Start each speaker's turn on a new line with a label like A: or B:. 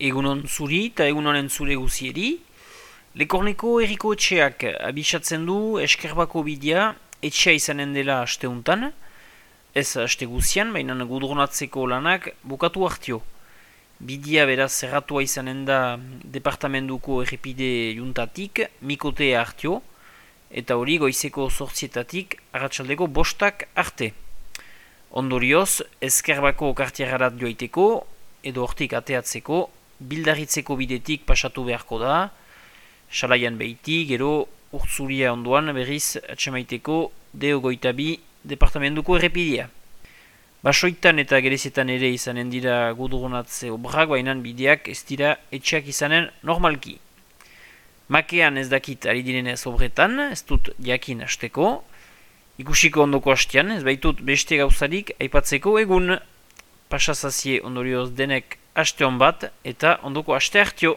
A: Egunon zuri eta egunonen zure guzieri. Lekorneko Eriko etxeak abisatzen du Eskerbako bidea etxea izanen dela asteuntan. Ez aste guzian, baina gudronatzeko lanak bukatu hartio. Bidea beraz zerratua izanen da departamentuko errepide juntatik mikotea hartio. Eta hori goizeko 8:00 arratsaldeko 5:00 arte. Ondorioz, Eskerbako kartierarat joaiteko edo hortik ateatzeko bildarritzeko bidetik pasatu beharko da, salaian behiti, gero urtzuria ondoan berriz atxemaiteko D22 departamentuko errepidea. Basoitan eta gerezetan ere izanen dira gudronatze obrak, baina bideak ez dira etxeak izanen normalki. Makean ez dakit ari direnez obretan, ez dut jakin hasteko, ikusiko ondoko hastean, ez baitut beste gauzarik aipatzeko egun. Pasazazie ondorioz denek haste hon bat eta ondoko haste hartio.